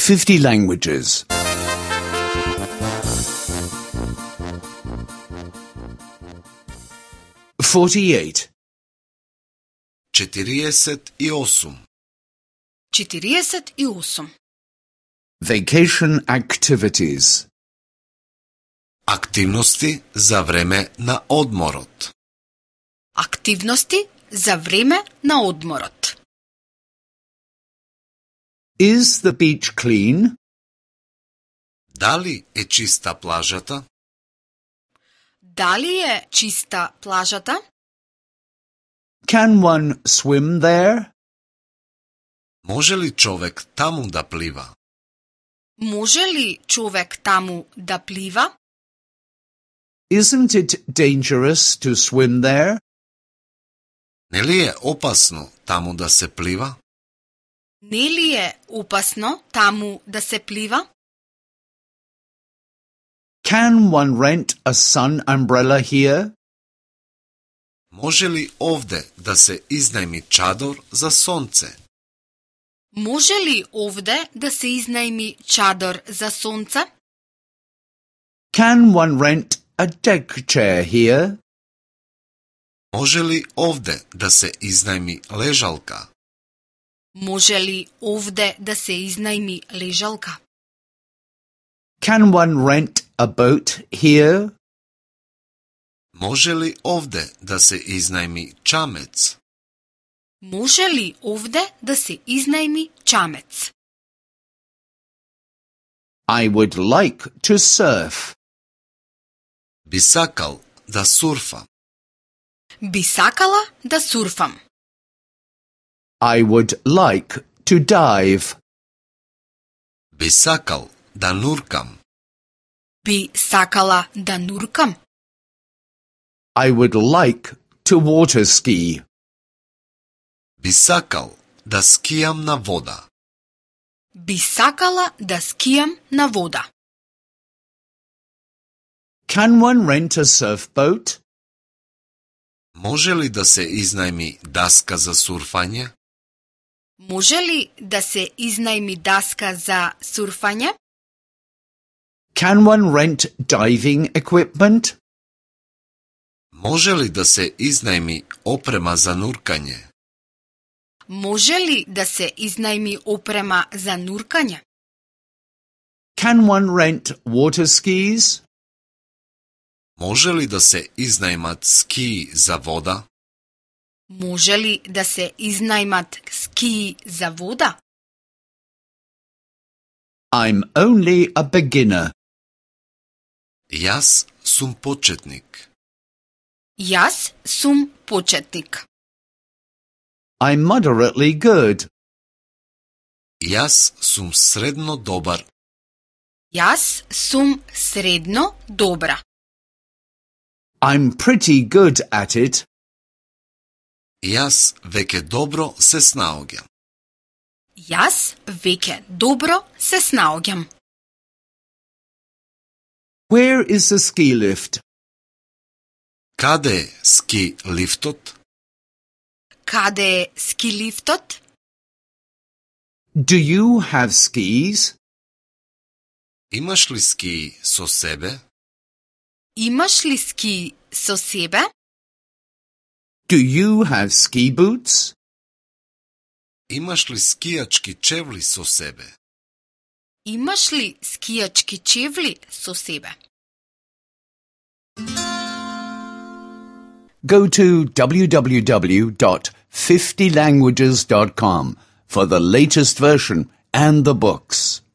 50 languages. 48. 48. 48. Vacation activities. Активности за време на одморот. Активности за време на одморот. Is the beach clean? Дали е чиста плажата? Дали е чиста плажата? Can one swim there? Може ли човек таму да плива? Може ли човек таму да плива? Isn't it dangerous to swim there? Нели е опасно таму да се плива? Нели е опасно таму да се плива? Can one rent a sun umbrella here? Може ли овде да се изнајми чадор за сонце? Може ли овде да се изнајми чадор за сонце? Can one rent a deck chair here? Може ли овде да се изнајми лежалка? Може ли овде да се изнајми лежалка? Can one rent a boat here? Може ли овде да се изнајми чамец? Може ли овде да се изнајми чамец? I would like to surf. Би сакал да сурфа. Би сакала да сурфам. I would like to dive. Би сакал да нуркам. Би сакала да нуркам. I would like to water ski. Би сакал да скијам на вода. Би сакала да скијам на вода. Can one rent a surfboat? Може ли да се изнајми даска за сурфање? Може ли да се изнајми даска за сурфање? Can one rent diving equipment? Може ли да се изнајми опрема за нуркање? Може ли да се изнајми опрема за нуркање? Can one rent water skis? Може ли да се изнајмат скии за вода? Може ли да се изнајмат скии за вода? I'm only a beginner. Јас сум почетник. Јас сум почетник. I'm moderately good. Јас сум средно добар. Јас сум средно добра. I'm pretty good at it. Јас веќе добро се снаоѓам. Јас веќе добро се снаоѓам. Where is the ski lift? Каде е ски лифтот? Каде е ски лифтот? Do you have skis? Имаш ли скии со себе? Имаш ли ски со себе? Do you have ski boots? Имаш ли скијачки чевли со себе? Имаш ли скијачки чевли со себе? Go to www.50languages.com for the latest version and the books.